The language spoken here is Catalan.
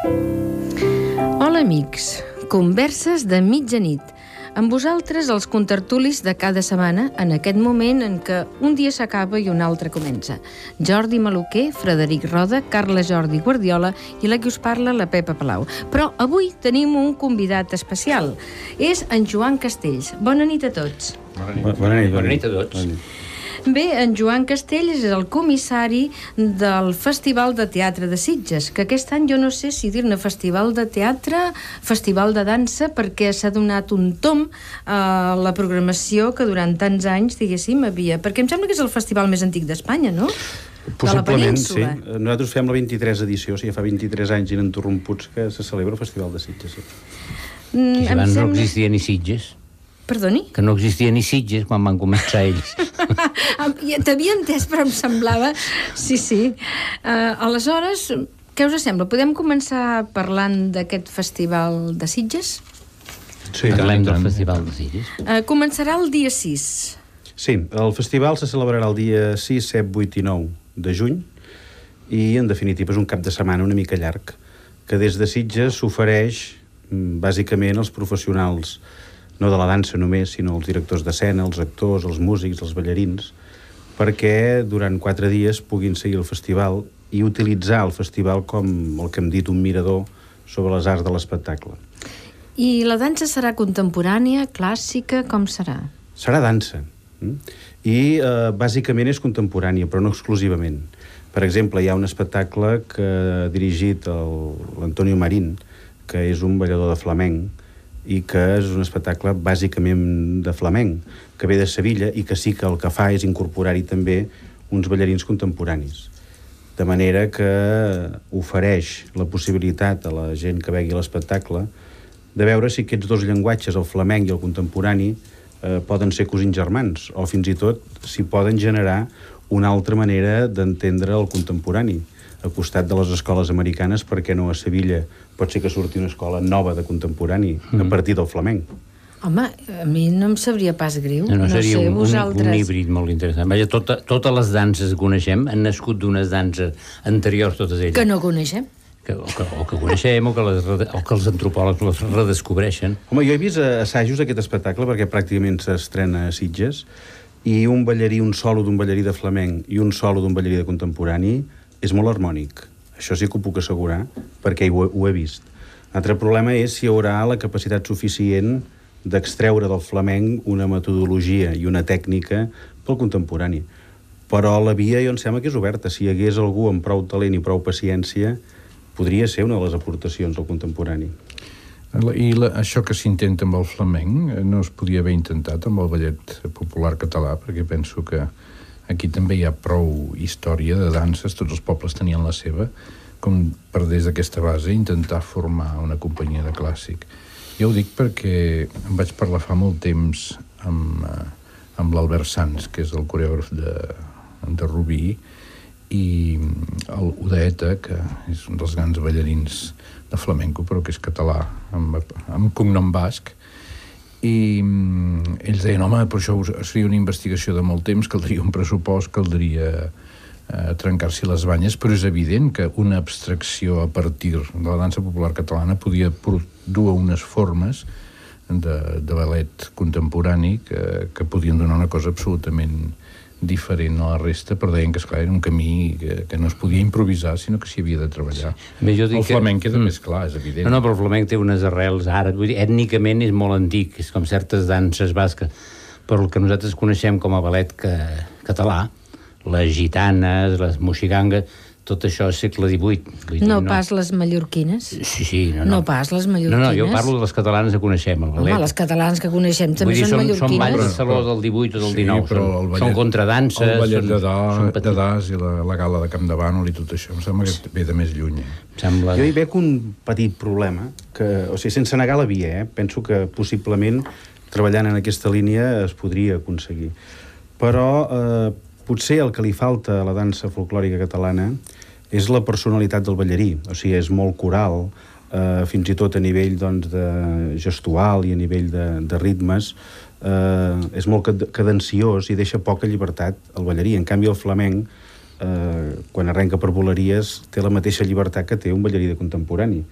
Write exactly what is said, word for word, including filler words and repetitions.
Hola, amics. Converses de mitjanit. Amb vosaltres, els contertulis de cada setmana, en aquest moment en què un dia s'acaba i un altre comença. Jordi Maluquer, Frederic Roda, Carla Jordi Guardiola i la que us parla, la Pepa Palau. Però avui tenim un convidat especial. És en Joan Castells. Bona nit a tots. Bona nit, bona nit, bona nit a tots. Bona nit. Bé, en Joan Castells és el comissari del Festival de Teatre de Sitges, que aquest any jo no sé si dir-ne festival de teatre, festival de dansa, perquè s'ha donat un tom a la programació que durant tants anys, diguéssim, havia... Perquè em sembla que és el festival més antic d'Espanya, no? Possiblement, sí. Nosaltres fem la vint-i-tres edició, o sigui, fa vint-i-tres anys ininterromputs que se celebra el Festival de Sitges. Sí. Mm, que abans sembla... no existia ni Sitges. Perdoni? Que no existia ni Sitges quan van començar ells. T'havia entès, però em semblava... Sí, sí. Uh, aleshores, què us sembla? Podem començar parlant d'aquest festival de Sitges? Sí, parlem del Festival de Sitges. Uh, començarà el dia sis. Sí, el festival se celebrarà el dia sis, set, vuit i nou de juny i, en definitiva, és un cap de setmana una mica llarg, que des de Sitges s'ofereix, bàsicament, als professionals no de la dansa només, sinó els directors d'escena, els actors, els músics, els ballarins, perquè durant quatre dies puguin seguir el festival i utilitzar el festival com el que hem dit, un mirador sobre les arts de l'espectacle. I la dansa serà contemporània, clàssica, com serà? Serà dansa. I eh, bàsicament és contemporània, però no exclusivament. Per exemple, hi ha un espectacle que ha dirigit l'Antonio Marín, que és un ballador de flamenc, i que és un espectacle bàsicament de flamenc, que ve de Sevilla i que sí que el que fa és incorporar-hi també uns ballarins contemporanis. De manera que ofereix la possibilitat a la gent que vegi l'espectacle de veure si aquests dos llenguatges, el flamenc i el contemporani, eh, poden ser cosins germans, o fins i tot si poden generar una altra manera d'entendre el contemporani. Al costat de les escoles americanes, perquè no a Sevilla pot ser que surti una escola nova de contemporani mm. a partir del flamenc. Home, a mi no em sabria pas greu. No, no, no seria sé, un, vosaltres... un híbrid molt interessant. Vaja, tota, totes les danses que coneixem han nascut d'unes danses anteriors, totes elles. Que no coneixem. Que, o, que, o que coneixem, o que, les, o que els antropòlegs les redescobreixen. Home, jo he vist assajos d'aquest espectacle, perquè pràcticament s'estrena a Sitges, i un ballarí, un solo d'un ballarí de flamenc i un solo d'un ballarí de contemporani és molt harmònic. Això sí que ho puc assegurar, perquè ho, ho he vist. L'altre problema és si hi haurà la capacitat suficient d'extreure del flamenc una metodologia i una tècnica pel contemporani. Però la via, jo em sembla que és oberta. Si hi hagués algú amb prou talent i prou paciència, podria ser una de les aportacions al contemporani. I la, això que s'intenta amb el flamenc no es podia haver intentat amb el ballet popular català, perquè penso que aquí també hi ha prou història de danses, tots els pobles tenien la seva, com per des d'aquesta base intentar formar una companyia de clàssic. Jo ho dic perquè em vaig parlar fa molt temps amb, amb l'Albert Sanz, que és el coreògraf de, de Rubí, i el Udaeta, que és un dels grans ballarins de flamenco, però que és català, amb, amb cognom basc, i ells deien, home, però això seria una investigació de molt temps, caldria un pressupost, caldria eh, trencar-s'hi les banyes, però és evident que una abstracció a partir de la dansa popular catalana podia dur unes formes de, de ballet contemporani que, que podien donar una cosa absolutament diferent a la resta, però deien que, esclar, era un camí que, que no es podia improvisar, sinó que s'hi havia de treballar. Bé, jo dic el flamenc que... queda mm. més clar, és evident. No, no, però el flamenc té unes arrels ara, vull dir, ètnicament és molt antic, és com certes danses basques, però el que nosaltres coneixem com a ballet que, català, les gitanes, les moxigangues, tot això és segle divuit. Vull dir, no, no pas les mallorquines? Sí, sí. No, no. no pas les mallorquines? No, no, jo parlo de les catalanes que coneixem, el ballet. Home, les catalanes que coneixem també dir, són, són mallorquines. Són balls de saló del divuit o del dinou, sí, són, ballet, són contradanses. El ballet són, de, da, de Das i la, la gala de Camp de Bànol i tot això, em sembla que ve de més lluny. Eh? Sembla... Jo hi veig un petit problema, que, o sigui, sense negar la via, eh? Penso que possiblement treballant en aquesta línia es podria aconseguir. Però eh, potser el que li falta a la dansa folclòrica catalana és la personalitat del ballarí, o sigui, és molt coral, eh, fins i tot a nivell doncs, de gestual i a nivell de, de ritmes, eh, és molt cadenciós i deixa poca llibertat al ballarí. En canvi, el flamenc eh, quan arrenca per voleries té la mateixa llibertat que té un ballarí de contemporani.